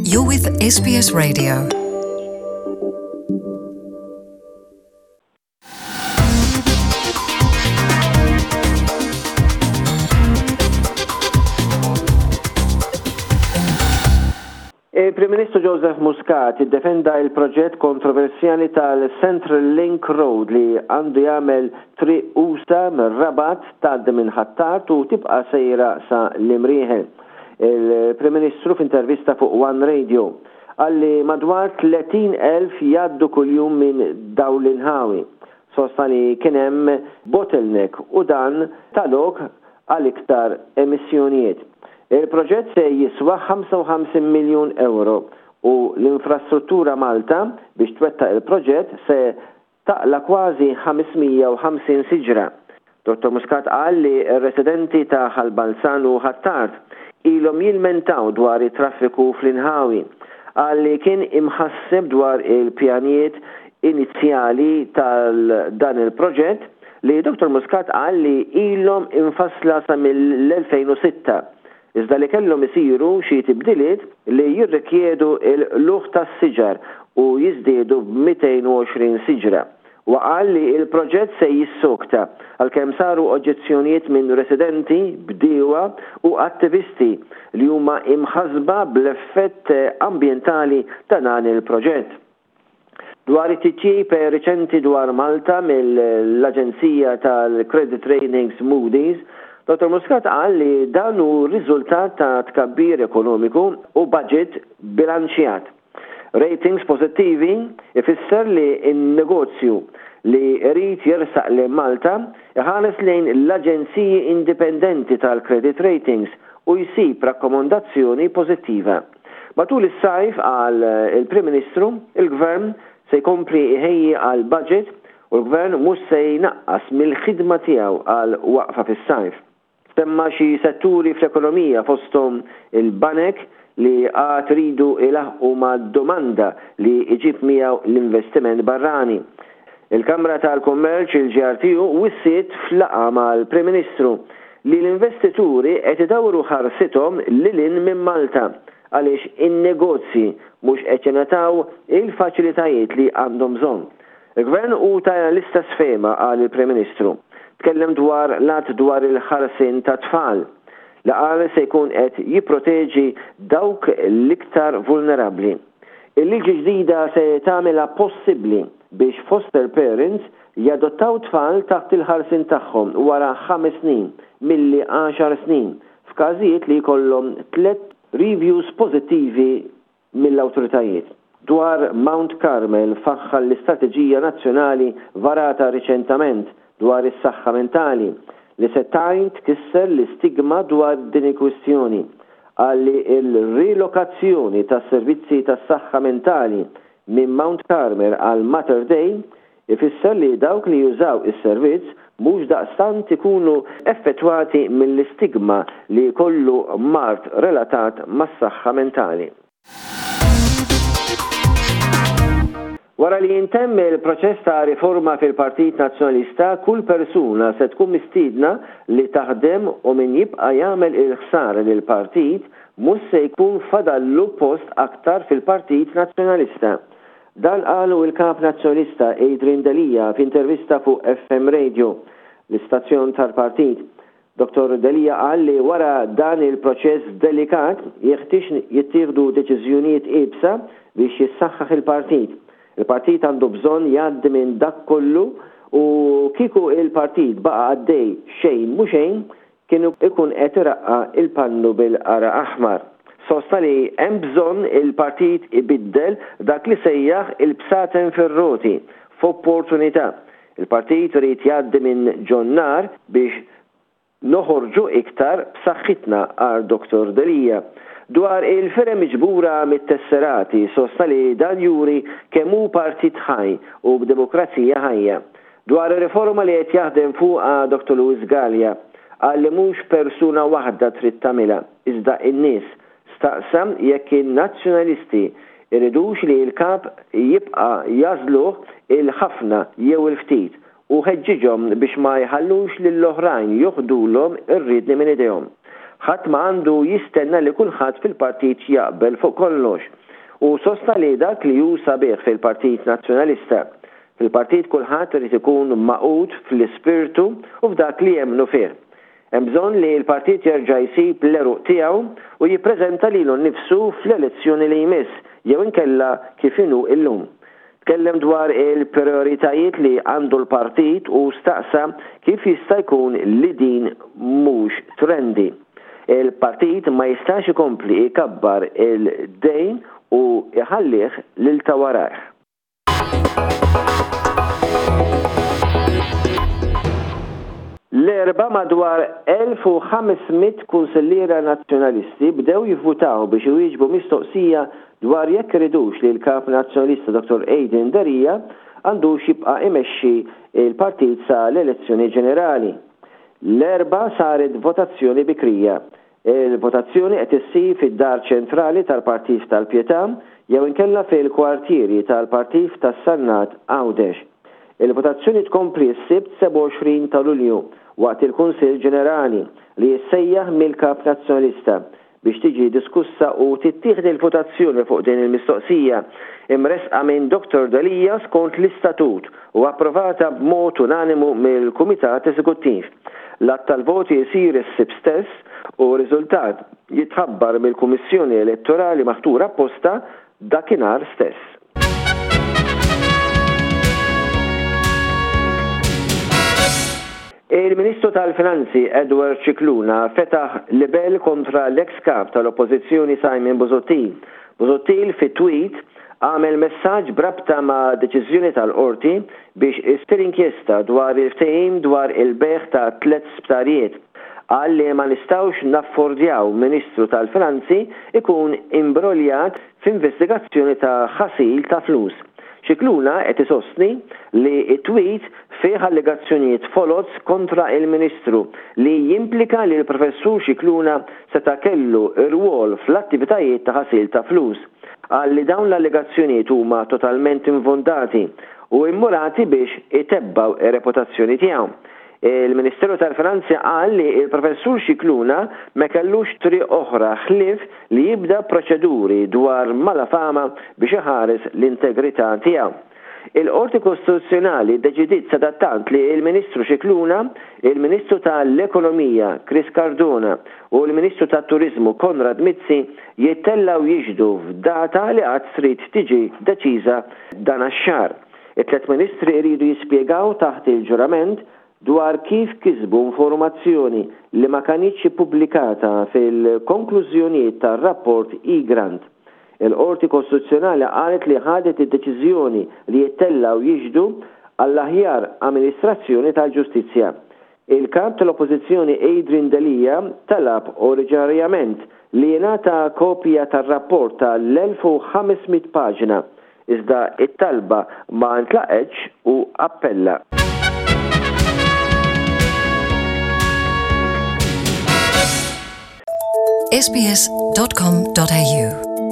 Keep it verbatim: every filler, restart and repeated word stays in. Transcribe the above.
You're with S B S Radio. Il-Prim Ministru Joseph Muscat iddefenda il-proġett kontroversjali tal-Central Link Road li għandu jagħmel triq usa mir-Rabat, tgħaddi minn Ħ'Attard u tibqa' sejra sa l-Imrieħel. Il-Prim Ministru f'intervista fuq One Radio qal li madwar tletin elf jgħaddu kuljum minn dawn l-inħawi. Sostna li kien hemm bottleneck u dan ta lok għal iktar emissjonijiet. Il-proġett se jiswa ħamsa u ħamsin miljun euro u l-Infrastruttura Malta biex twettaq il-proġett se taqla' kważi ħames mija u ħamsin siġra. Dottor Muscat qal li r-residenti ta' Ħal Balzan u Ħ'Attard ilhom jilmentaw dwar it-traffiku fl-inħawi. Qal li kien imħasseb dwar il-pjanijiet inizjali tal-dan il-proġett li Dottor Muscat qal li ilhom imfassla sa mill-elfejn u sitta, iżda li kellhom isiru xi tibdiliet li jirrikjedu il-qlugħ tas-siġar u jiżdiedu b'mitejn u għoxrin siġra. U qal li il-proġett se jissokta għalkemm saru oġġezzjonijiet minn residenti, bdiewa u attivisti li huma imħasba bl-effett ambjentali ta' dan il-proġett. Dwar it-titjib riċenti dwar Malta mill-Aġenzija tal-Credit Ratings Moody's, Dottor Muscat qal li dan hu riżultat ta' tkabbir ekonomiku u budget bilanċjat. Ratings pozittivi ifisser li n-negozju li jrid jersaq lil Malta iħares lejn l-aġenziji indipendenti tal-credit ratings u jsib rakkomandazzjoni pożittiva. Matul is-sajf, qal il-Prim Ministru, il-Gvern se jkompli iħejji għal budget u l-Gvern mhux se jnaqqas mill-ħidma tiegħu għal waqfa fis-sajf. Semma xi setturi fl-ekonomija, fosthom il-banek li għad iridu ilaħqu ma' domanda li iġib miegħu l-investiment barrani. Il-Kamra tal-Kummerċ, il-G R T U, wissiet f'laqgħa mal-Prim Ministru li l-investituri qed idawru ħarsithom lil hinn minn Malta għaliex in-negozji mhux qed jingħataw il-faċilitajiet li għandhom bżonn. Il-Gvern hu ta' l-istess fehma, qal il-Prim Ministru. Tkellem dwar l-att dwar il-ħarsien ta' tfal li qal se jkun qed jipproteġi dawk l-iktar vulnerabbli. Il-liġi ġdida se tagħmilha possibbli biex foster parents jadottaw tfal taħt il-ħarsien tagħhom wara ħames snin milli għaxar snin f'każijiet li jkollhom tliet reviews pożittivi mill-awtoritajiet. Dwar Mount Carmel, faħħar l-Istrateġija Nazzjonali varata riċentament dwar is-saħħa mentali li se tgħin tkisser l-istigma dwar din il-kwistjoni. Qal li il-rilokazzjoni tas servizzi tas-saħħa mentali minn Mount Carmel għal Mater Dei ifisser li dawk li jużaw is-servizz mhux daqstant ikunu effettwati mill-istigma li kollu mard relatat mas-saħħa mentali. Wara li jintemm il-proċess ta' riforma fil-Partit Nazzjonalista, kull persuna se tkun mistiedna li taħdem u min jibqa' jagħmel il-ħsara lil partit mhux se jkun fadallu post aktar fil-Partit Nazzjonalista. Dan qalu il-kap nazzjonalista Adrian Delia f'intervista fuq F M Radio, l-istazzjon tal-partit. Dottor Delia qal li wara dan il-proċess delikat jeħtieġ jittieħdu deċiżjonijiet iebsa biex jissaħħaħ il-partit. Il-partit għandu bżonn jgħaddi minn dak kollu u kieku il-partit baqa' għaddej xejn mhu xejn, kienu ikun qed iraqqa' il-pannu bil-qargħa aħmar. Sostna li hemm bżonn il-partit ibiddel dak li sejjaħ il-bsaten fir-roti f'opportunità. Il-partit irid jgħaddi minn ġon-nar biex noħorġu iktar b'saħħitna, qal Dottor Delia. Dwar il-firem miġbura mit-tesserati, sostna li dan juri kemm hu partit ħaj u b'demokrazija ħajja. Dwar ir-riforma li qed jaħdem fuqha Dottor Louis Galea, qal li mhux persuna waħda trid tagħmilha, iżda in-nies. Staqsa jekk in-nazzjonalisti iridux li l-kap jibqa' jagħżluh il-ħafna jew il-ftit u ħeġġiġhom biex ma jħallux lill-oħrajn joħdulhom ir-riedni minn idejhom. Ħadd ma għandu jistenna li kulħadd fil-partit jaqbel fuq kollox. U sostna li dak li hu sabiħ fil-Partit Nazzjonalista. Fil-partit kulħadd irid ikun magħqud fl-ispirtu u f'dak li jemmnu fih. Hemm bżonn li l-partit jerġa' jsib l-għeruq tiegħu u jippreżenta lilu nnifsu fl-elezzjoni li jmiss jew inkella kif inhu illum. Tkellem dwar il-prioritajiet li għandu l-partit u staqsa kif jista' jkun li din mhux trendy. Il-partit ma jistax ikompli ikabbar il-dejn u iħallih lil ta' warajh. L-Erbgħa madwar elf u ħames mitt kunsilliera Nazzjonalisti bdew jivvutaw biex iwieġbu mistoqsija dwar jekk iridux li l-kap Nazzjonalista Doktor Adrian Delia għandux jibqa' imexxi il-partit sa l-elezzjoni ġenerali. L-Erbgħa saret votazzjoni bikrija. Il-votazzjoni qed issir fid-dar ċentrali tal-Partit tal-Pietà jew inkella fil-kwartieri tal-Partit tas-Sannat, Għawdex. Il-votazzjoni tkompli s-Sibt sebgħa u għoxrin ta' Lulju waqt il-Kunsill Ġenerali li jissejjaħ mill-Kap Nazzjonalista biex tiġi diskussa u tittieħed il-votazzjoni fuq din il-mistoqsija imresqa minn Doktor Delia skont l-istatut u approvata b'mod unanimu mill-Kumitat Eżekuttiv. L-għadd tal-voti jsir is-Sibt stess u r-riżultat jitħabbar mill-Kummissjoni Elettorali maħtura apposta dakinhar stess. Il-Ministru tal-Finanzi Edward Scicluna fetaħ libel kontra l-ex kap tal-Oppożizzjoni Simon Busuttil. Busuttil fi tweet għamel messaġġ b'rabta ma' deċiżjoni tal-qorti biex issir inkjesta dwar il-ftehim dwar il-bejgħ ta' tliet sptarijiet. Qal li ma nistgħux naffordjaw Ministru tal-Finanzi ikun imbroljat f'investigazzjoni ta' ħasil ta' flus. Scicluna qed isostni li it-tweet fih allegazzjonijiet foloz kontra il-Ministru li jimplika li l-Professur Scicluna seta' kellu rwol fl-attivitajiet ta' ħasil ta' flus. Qal li dawn l-allegazzjonijiet huma totalment infondati u immurati biex itebbgħu ir-reputazzjoni tiegħu. Il-Ministeru tal-Finanzi qal li il-Professur Scicluna ma kellux triq oħra ħlief li jibda proċeduri dwar malafama biex iħares l-integrità tiegħu. Il-Qorti Kostituzzjonali deċidiet sadattant li il-Ministru Scicluna, il-Ministru tal-Ekonomija Chris Cardona u l-Ministru tat-Turizmu Konrad Mizzi jittellaw jixhdu f'data li għad trid tiġi deċiża dan ix-xahar. It-tlet ministri iridu jispjegaw taħt il-ġurament dwar kif kisbu informazzjoni li ma kinitx ippubblikata fil-konklużjonijiet tar-rapport Egrant. Il-Qorti Kostituzzjonali qalet li ħadet id-deċiżjoni li jittellaw jixhdu għall-aħjar amministrazzjoni tal-ġustizzja. Il-kap tal-Oppożizzjoni Adrian Delia talab oriġinarjament li jingħata kopja tar-rapport tal-elf u ħames mitt paġna, iżda it-talba ma ntlaqgħetx u appella. S B S dot com dot A U.